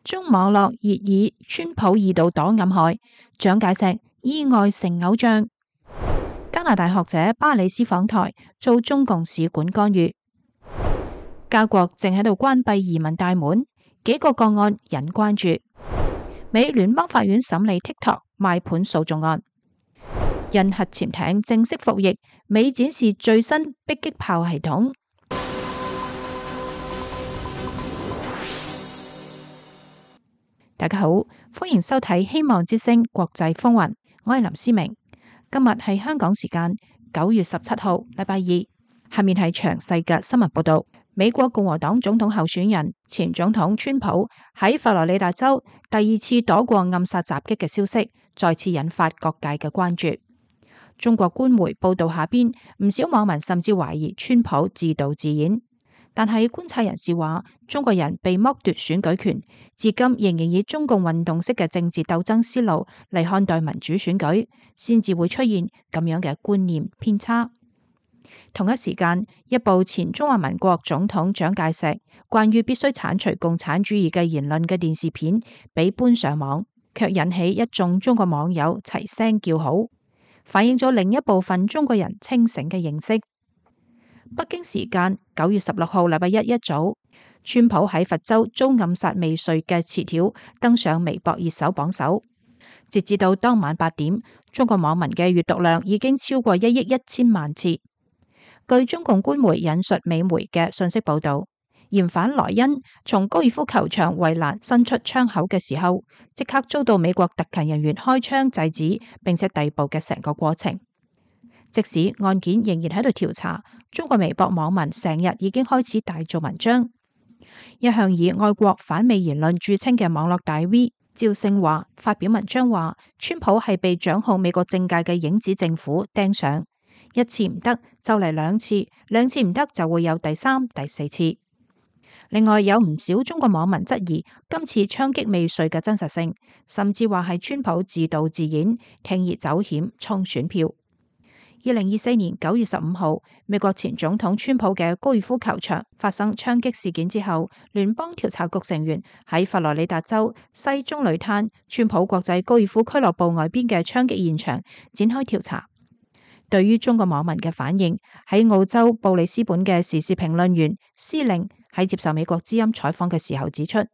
中網絡熱議川普二度躲暗害，蔣介石意外成偶像。加拿大學者巴里斯訪台，遭中共使館干預。加國正喺度關閉移民大門，幾個個案引關注。美聯邦法院審理 TikTok 賣盤訴訟案。印核潛艇正式服役，美展示最新迫擊炮系統。大家好，歡迎收睇希望之聲國際風雲，我係林思明。今日係香港時間9月17號，禮拜二。下面係詳細嘅新聞報道。美國共和黨總統候選人前總統川普喺佛羅里達州第二次躲過暗殺襲擊嘅消息，再次引發各界嘅關注。中國官媒報道下邊，唔少網民甚至懷疑川普自導自演。但係觀察人士話，中國人被剝奪選舉權，至今仍然以中共運動式嘅政治鬥爭思路嚟看待民主選舉，先至會出現咁樣嘅觀念偏差。同一時間，一部前中華民國總統蔣介石關於必須剷除共產主義嘅言論嘅電視片被搬上網，卻引起一眾中國網友齊聲叫好，反映咗另一部分中國人清醒嘅認識。北京時間9月16號禮拜一早，川普喺佛州遭暗殺未遂嘅詞條登上微博熱搜榜首。截至到當晚8點，中國網民嘅閱讀量已經超過1億1千萬次。據中共官媒引述美媒嘅信息報道，嫌犯萊恩從高爾夫球場圍欄伸出槍口嘅時候，即刻遭到美國特勤人員開槍制止，並且逮捕嘅成個過程。即使案件仍然喺度調查，中國微博網民成日已經開始大做文章。一向以愛國反美言論著稱嘅網絡大 V 趙勝華發表文章話，川普係被掌控美國政界嘅影子政府盯上，一次唔得就嚟兩次，兩次唔得就會有第三、第四次。另外有唔少中國網民質疑今次槍擊未遂嘅真實性，甚至話係川普自導自演，鋌而走險衝選票。2024年9月15號，美國前總統川普嘅高爾夫球場發生槍擊事件之後，聯邦調查局成員喺佛羅里達州西棕櫚灘川普國際高爾夫俱樂部外邊嘅槍擊現場展開調查。對於中國網民嘅反應，喺澳洲布里斯本嘅時事評論員司令喺接受美國之音採訪嘅時候指出，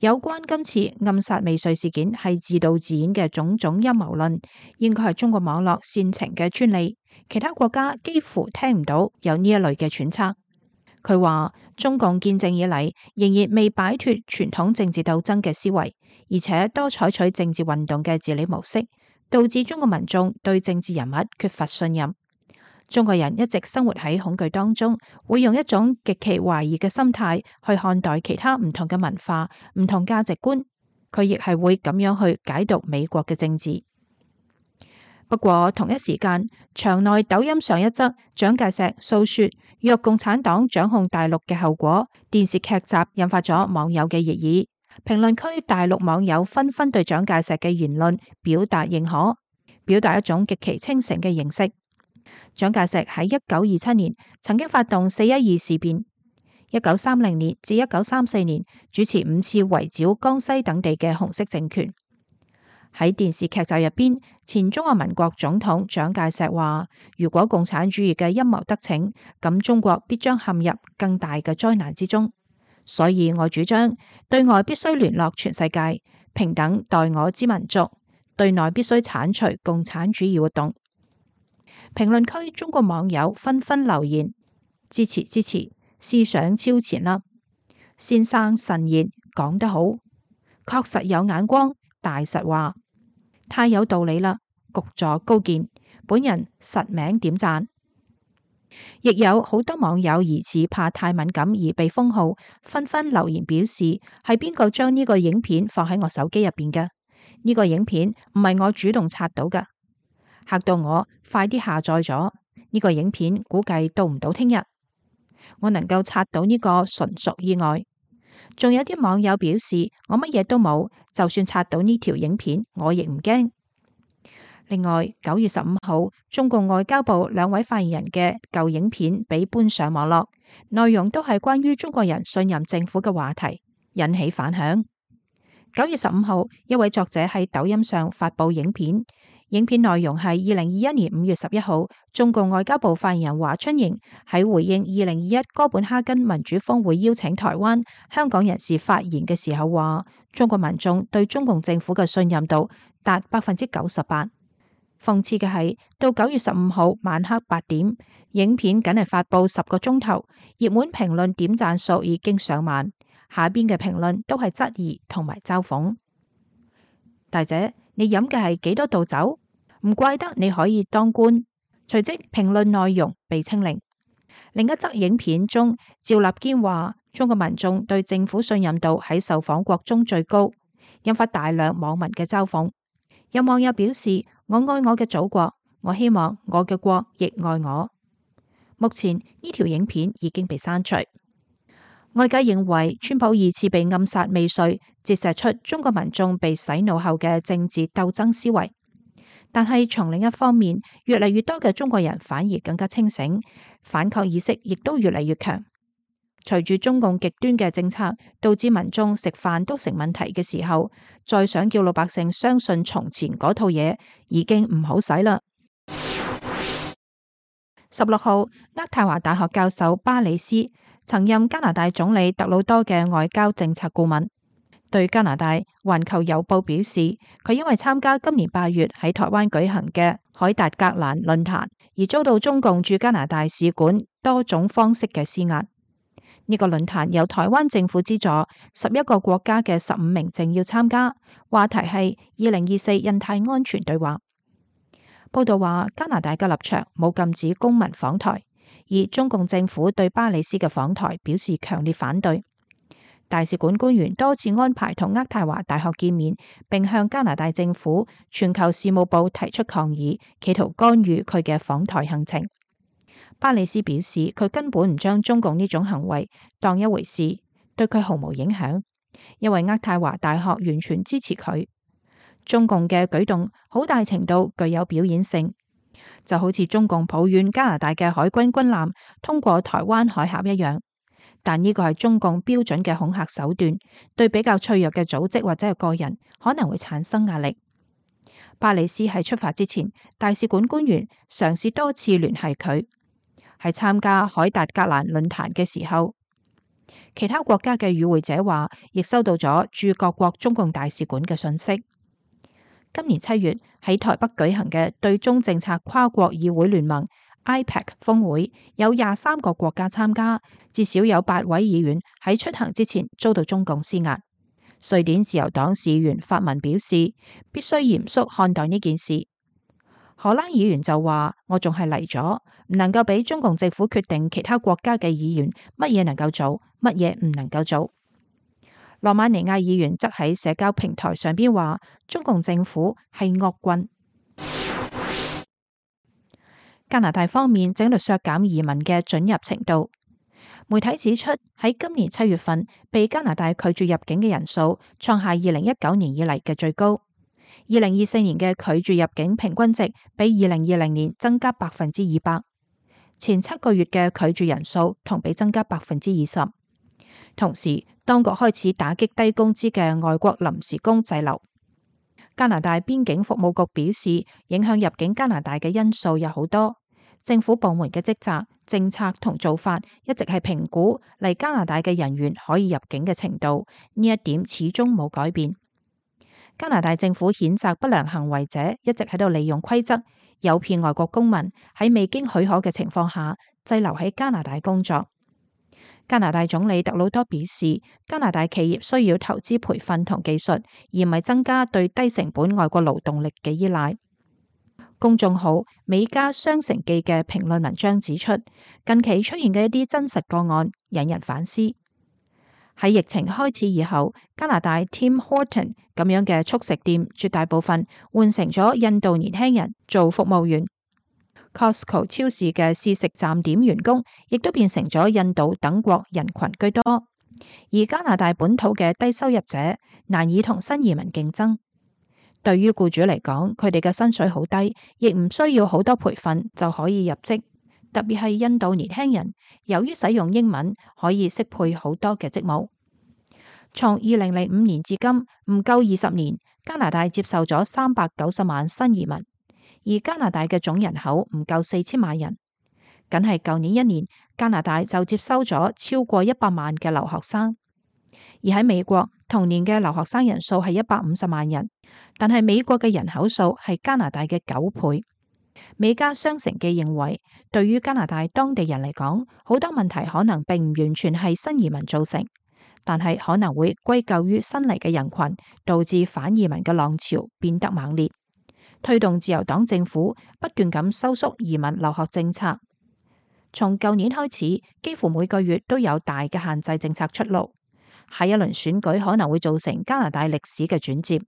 有關今次暗殺未遂事件係自導自演嘅種種陰謀論，應該係中國網絡煽情嘅專利，其他國家幾乎聽唔到有呢一類嘅揣測。佢話中共建政以嚟仍然未擺脫傳統政治鬥爭嘅思維，而且多採取政治運動嘅治理模式，導致中國民眾對政治人物缺乏信任。中國人一直生活喺恐懼當中，會用一種極其懷疑嘅心態去看待其他唔同嘅文化、唔同價值觀。佢亦係會咁樣去解讀美國嘅政治。不過同一時間，場內抖音上一則蔣介石訴說若共產黨掌控大陸嘅後果電視劇集，引發咗網友嘅熱議。評論區大陸網友紛紛對蔣介石嘅言論表達認可，表達一種極其清醒嘅認識。蔣介石喺1927年曾經發動412事變，1930年至1934年主持5次圍剿江西等地嘅紅色政權。喺電視劇集入邊，前中華民國總統蔣介石話：如果共產主義嘅陰謀得逞，咁中國必將陷入更大嘅災難之中。所以我主張對外必須聯絡全世界，平等待我之民族；對內必須剷除共產主義活動。評論區中國網友紛紛留言支持，思想超前啦！先生慎言，講得好，確實有眼光，大實話，太有道理啦！局座高見，本人實名點讚。亦有好多網友疑似怕太敏感而被封號，紛紛留言表示係邊個將呢個影片放喺我手機入邊嘅？呢個影片唔係我主動刷到㗎。嚇到我，快啲下載咗呢個影片，估計到唔到聽日。我能夠刷到呢個純屬意外。仲有啲網友表示我乜嘢都冇，就算刷到呢條影片，我亦唔驚。另外，9月15號，中共外交部2位發言人嘅舊影片被搬上網絡，內容都係關於中國人信任政府嘅話題，引起反響。9月15號，一位作者喺抖音上發布影片，影片內容係2021年5月11號，中共外交部發言人華春瑩喺回應2021哥本哈根民主峰會邀請台灣、香港人士發言嘅時候話，中國民眾對中共政府嘅信任度達98%。諷刺嘅係，到9月15號晚黑8點，影片僅係發布10個鐘頭，熱門評論點讚數已經上萬，下邊嘅評論都係質疑同埋嘲諷。大姐，你飲嘅係幾多度酒？唔怪得你可以當官。隨即評論內容被清零。另一則影片中，趙立堅話中國民眾對政府信任度喺受訪國中最高，引發大量網民嘅嘲諷。有網友表示：我愛我嘅祖國，我希望我嘅國亦愛我。目前呢條影片已經被刪除。外界認為川普2次被暗殺未遂，折射出中國民眾被洗腦後嘅政治鬥爭思維。但係從另一方面，越嚟越多嘅中國人反而更加清醒，反抗意識亦都越嚟越強。隨住中共極端嘅政策導致民眾食飯都成問題嘅時候，再想叫老百姓相信從前嗰套嘢已經唔好使啦。16號，渥太華大學教授巴里斯曾任加拿大總理特魯多嘅外交政策顧問，對加拿大《環球郵報》表示，佢因為參加今年8月喺台灣舉行嘅凱達格蘭論壇而遭到中共駐加拿大使館多種方式嘅施壓。呢個論壇由台灣政府資助，11個國家嘅15名政要參加，話題係2024印太安全對話。報道話，加拿大嘅立場冇禁止公民訪台，而中共政府對巴里斯嘅訪台表示強烈反對。大使館官員多次安排同渥太華大學見面，並向加拿大政府全球事務部提出抗議，企圖干預佢嘅訪台行程。巴里斯表示，佢根本唔將中共呢種行為當一回事，對佢毫無影響，因為渥太華大學完全支持佢。中共嘅舉動好大程度具有表演性，就好似中共抱怨加拿大嘅海軍軍艦通過台灣海峽一樣。但呢個係中共標準嘅恐嚇手段，對比較脆弱嘅組織或者係個人可能會產生壓力。巴里斯喺出發之前，大使館官員嘗試多次聯繫佢。喺參加凱達格蘭論壇嘅時候，其他國家嘅與會者話，亦收到咗駐各國中共大使館嘅信息。今年7月喺台北舉行嘅對中政策跨國議會聯盟 IPEC 峰會，有23個國家參加，至少有8位議員喺出行之前遭到中共施壓。瑞典自由黨市議員發文表示，必須嚴肅看待呢件事。荷蘭議員就話：我仲係嚟咗，唔能夠俾中共政府決定其他國家嘅議員乜嘢能夠做，乜嘢唔能夠做。羅馬尼亞議員則喺社交平台上邊話：中共政府係惡棍。加拿大方面正喺度削減移民嘅准入程度。媒體指出，喺今年7月份被加拿大拒絕入境嘅人數創下2019年以嚟嘅最高。2024年嘅拒絕入境平均值比2020年增加200%，前7個月嘅拒絕人數同比增加20%。同時，當局開始打擊低工資嘅外國臨時工滯留。加拿大邊境服務局表示，影響入境加拿大嘅因素有好多，政府部門嘅職責、政策同做法一直係評估嚟加拿大嘅人員可以入境嘅程度，呢一點始終冇改變。加拿大政府譴責不良行為者一直喺度利用規則，誘騙外國公民喺未經許可嘅情況下滯留喺加拿大工作。加拿大總理特魯多表示，加拿大企業需要投資培訓同技術，而唔係增加對低成本外國勞動力嘅依賴。公眾號美加雙城記嘅評論文章指出，近期出現嘅一啲真實個案引人反思。喺疫情開始以後，加拿大 Tim Horton 咁樣嘅速食店絕大部分換成咗印度年輕人做服務員。Costco 超市嘅試食站點員工亦都變成咗印度等國人群居多，而加拿大本土嘅低收入者難以同新移民競爭。對於僱主嚟講，佢哋嘅薪水好低，亦唔需要好多培訓就可以入職。特別係印度年輕人，由於使用英文，可以適配好多嘅職務。從2005年至今唔夠20年，加拿大接受咗390萬新移民，而加拿大嘅總人口唔夠4000萬人。僅係舊年一年，加拿大就接收咗超過100萬嘅留學生。而喺美國，同年嘅留學生人數係150萬人，但係美國嘅人口數係加拿大嘅9倍。美加商城記認為，對於加拿大當地人嚟講，好多問題可能並唔完全係新移民造成，但係可能會歸咎於新嚟嘅人群，導致反移民嘅浪潮變得猛烈，推動自由黨政府不斷咁收縮移民留學政策。從舊年開始，幾乎每個月都有大嘅限制政策出爐，下一輪選舉可能會造成加拿大歷史嘅轉折。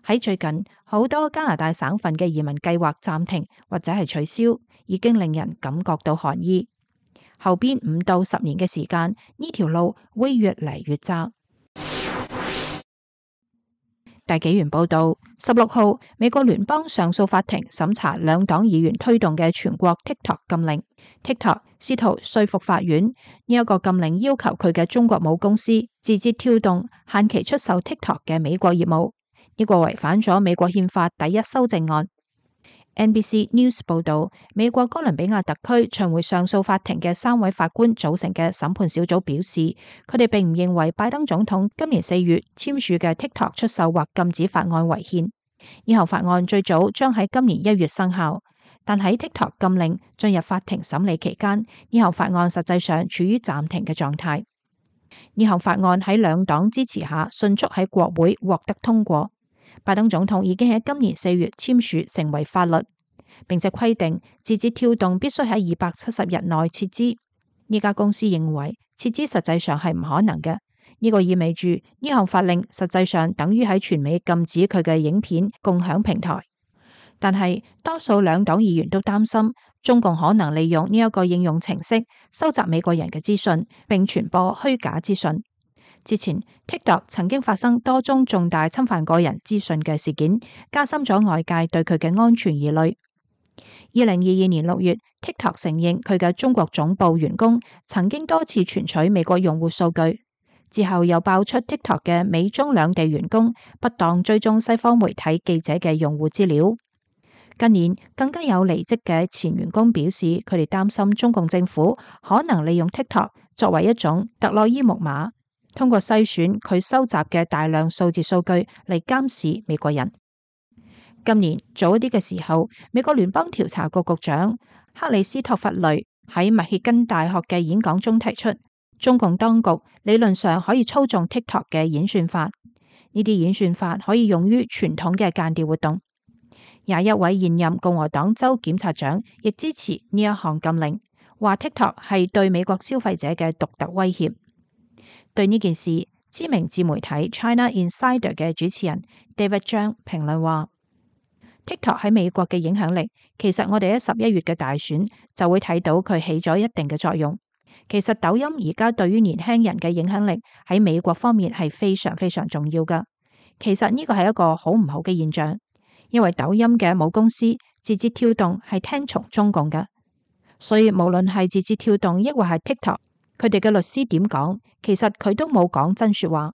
喺最近，好多加拿大省份嘅移民計劃暫停或者係取消，已經令人感覺到寒意。後邊5到10年嘅時間，呢條路會越嚟越窄。大紀元報道，16號，美國聯邦上訴法庭審查兩黨議員推動嘅全國 TikTok 禁令。TikTok 試圖說服法院，呢一個禁令要求佢嘅中國母公司字節跳動限期出售 TikTok 嘅美國業務。呢個違反咗美國憲法第1修正案。NBC News 報道，美國哥倫比亞特區巡迴上訴法庭嘅3位法官組成嘅審判小組表示，佢哋並唔認為拜登總統今年4月簽署嘅 TikTok 出售或禁止法案違憲。呢項法案最早將喺今年1月生效，但喺 TikTok 禁令進入法庭審理期間，呢項法案實際上處於暫停嘅狀態。呢項法案喺兩黨支持下迅速喺國會獲得通過。拜登總統已經喺今年4月簽署成為法律，並且規定字節跳動必須喺270日內撤資。呢家公司認為撤資實際上係唔可能嘅，呢個意味住呢項法令實際上等於喺全美禁止佢嘅影片共享平台。但係多數兩黨議員都擔心中共可能利用呢一個應用程式收集美國人嘅資訊，並傳播虛假資訊。之前 TikTok 曾經發生多宗重大侵犯個人資訊嘅事件，加深咗外界對佢嘅安全疑慮。2022年6月，TikTok 承認佢嘅中國總部員工曾經多次存取美國用戶數據，之後又爆出 TikTok 嘅美中兩地員工不當追蹤西方媒體記者嘅用戶資料。近年更加有離職嘅前員工表示，佢哋擔心中共政府可能利用 TikTok 作為一種特洛伊木馬，通過篩選佢收集嘅大量數字數據嚟監視美國人。今年早一啲嘅時候，美國聯邦調查局局長克里斯托弗雷喺密歇根大學嘅演講中提出，中共當局理論上可以操縱 TikTok 嘅演算法，呢啲演算法可以用於傳統嘅間諜活動。21位現任共和黨州檢察長亦支持呢一項禁令，話 TikTok 係對美國消費者嘅獨特威脅。對呢件事，知名自媒體 China Insider 嘅主持人 David Zhang 評論話，TikTok 喺美國嘅影響力，其實我哋喺11月嘅大選就會睇到佢起咗一定嘅作用。其實抖音而家對於年輕人嘅影響力喺美國方面係非常非常重要㗎。其實呢個係一個好唔好嘅現象，因為抖音嘅母公司字節跳動係聽從中共㗎，所以無論係字節跳動抑或係 TikTok，佢哋嘅律師點講，其實佢都冇講真說話，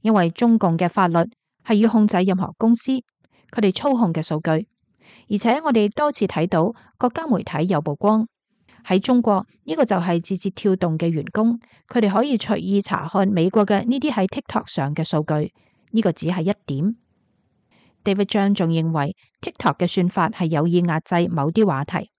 因為中共嘅法律係要控制任何公司，佢哋操控嘅數據。而且我哋多次睇到國家媒體有曝光，喺中國呢個就係字節跳動嘅員工，佢哋可以隨意查看美國嘅呢啲喺 TikTok 上嘅數據，呢個只係一點。David Zhang 仲認為 TikTok 嘅算法係有意壓制某啲話題。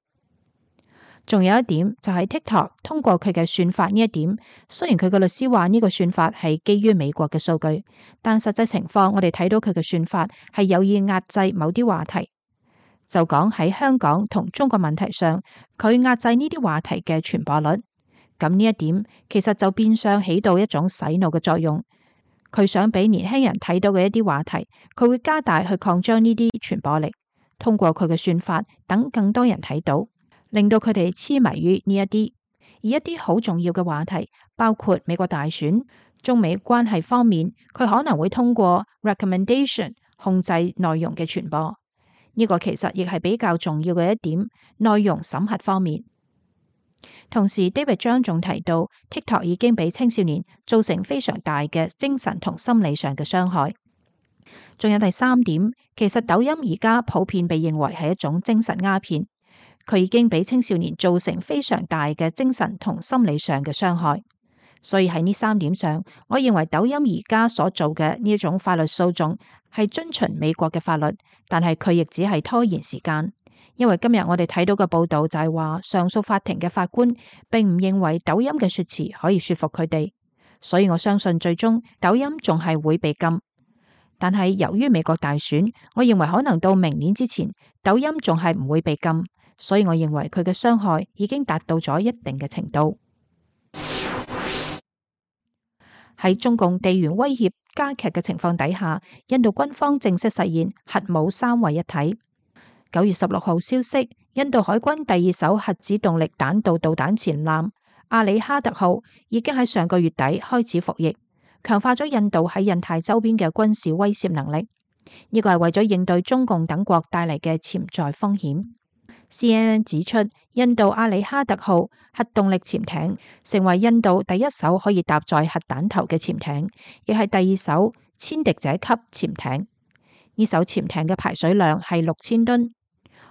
仲有一點就係 TikTok 通過佢嘅算法呢一點，雖然佢嘅律師話呢個算法係基於美國嘅數據，但實際情況我哋睇到佢嘅算法係有意壓制某啲話題。就講喺香港同中國問題上，佢壓制呢啲話題嘅傳播率。咁呢一點其實就變相起到一種洗腦嘅作用。佢想俾年輕人睇到嘅一啲話題，佢會加大去擴張呢啲傳播力，通過佢嘅算法等更多人睇到，令到佢哋痴迷於呢一啲。而一啲好重要嘅話題，包括美國大選、中美關係方面，佢可能會通過 recommendation 控制內容嘅傳播。呢個其實亦係比較重要嘅一點，內容審核方面。同時 David 張仲提到 TikTok 已經俾青少年造成非常大嘅精神同心理上嘅傷害。仲有第三點，其實抖音而家普遍被認為係一種精神鴉片，佢已經俾青少年造成非常大嘅精神同心理上嘅傷害。所以喺呢三點上，我認為抖音而家所做嘅呢一種法律訴訟係遵循美國嘅法律，但係佢亦只係拖延時間。因為今日我哋睇到嘅報道就係話，上訴法庭嘅法官並唔認為抖音嘅說辭可以說服佢哋，所以我相信最終抖音仲係會被禁。但係由於美國大選，我認為可能到明年之前，抖音仲係唔會被禁，所以我認為佢嘅傷害已經達到咗一定嘅程度。喺中共地緣威脅加劇嘅情況底下，印度軍方正式實現核武三位一體。9月16號消息，印度海軍第二艘核子動力彈道導彈潛艦阿里哈特號已經喺上個月底開始服役，強化咗印度喺印太周邊嘅軍事威懾能力。呢個係為咗應對中共等國帶嚟嘅潛在風險。CNN 指出，印度阿里哈特號核動力潛艇成為印度第一艘可以搭載核彈頭嘅潛艇，亦係第二艘殲敵者級潛艇。呢艘潛艇嘅排水量係6000噸，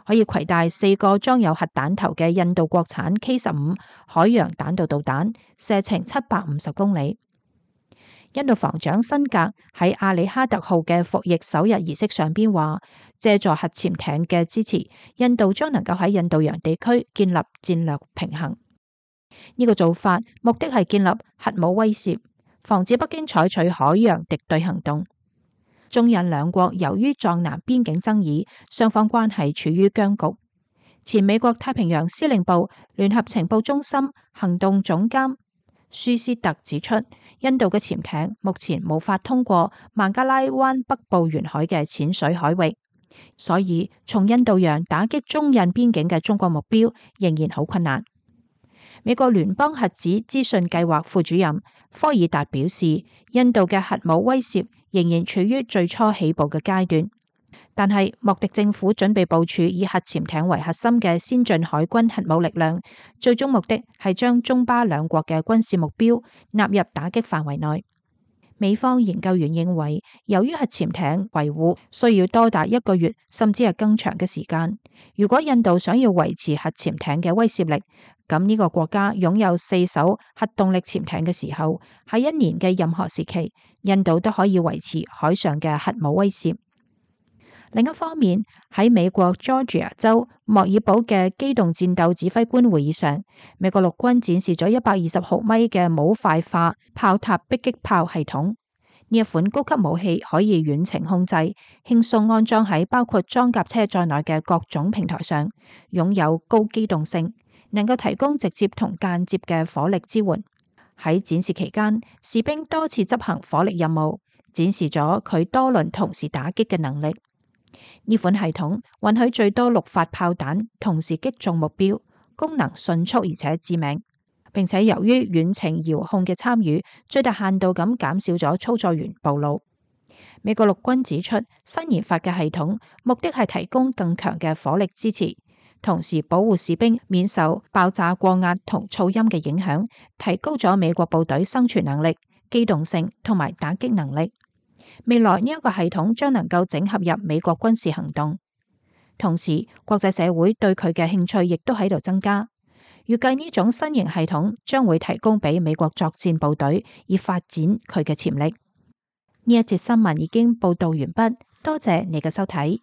可以攜帶4個裝有核彈頭嘅印度國產 K-15海洋彈道導彈，射程750公里。印度防長辛格喺阿里哈特號嘅服役首日儀式上邊話，借助核潛艇嘅支持，印度將能夠喺印度洋地區建立戰略平衡。呢個做法目的係建立核武威懾，防止北京採取海洋敵對行動。中印兩國由於藏南邊境爭議，雙方關係處於僵局。前美國太平洋司令部聯合情報中心行動總監舒斯特指出，印度嘅潛艇目前無法通過孟加拉灣北部沿海嘅淺水海域，所以從印度洋打擊中印邊境嘅中國目標仍然好困難。美國聯邦核子資訊計劃副主任科爾達表示，印度嘅核武威懾仍然處於最初起步嘅階段，但係莫迪政府準備部署以核潛艇為核心嘅先進海軍核武力量，最終目的係將中巴兩國嘅軍事目標納入打擊範圍內。美方研究員認為，由於核潛艇維護需要多達1個月甚至係更長嘅時間，如果印度想要維持核潛艇嘅威懾力，咁呢個國家擁有4艘核動力潛艇嘅時候，喺1年嘅任何時期，印度都可以維持海上嘅核武威懾。另一方面，喺美國 Georgia 州莫爾堡嘅機動戰鬥指揮官會議上，美國陸軍展示咗120毫米嘅模塊化炮塔迫擊炮系統。呢一款高級武器可以遠程控制，輕鬆安裝喺包括裝甲車在內嘅各種平台上，擁有高機動性，能夠提供直接同間接嘅火力支援。喺展示期間，士兵多次執行火力任務，展示咗佢多輪同時打擊嘅能力。呢款系統允許最多6發炮彈同時擊中目標，功能迅速而且致命，並且由於遠程遙控嘅參與，最大限度咁減少咗操作員暴露。美國陸軍指出，新研發嘅系統目的係提供更強嘅火力支持，同時保護士兵免受爆炸過壓同噪音嘅影響，提高咗美國部隊生存能力、機動性同埋打擊能力。未來呢一個系統將能夠整合入美國軍事行動，同時國際社會對佢嘅興趣亦都喺度增加。預計呢種新型系統將會提供俾美國作戰部隊，以發展佢嘅潛力。呢一節新聞已經報道完畢，多謝你嘅收睇。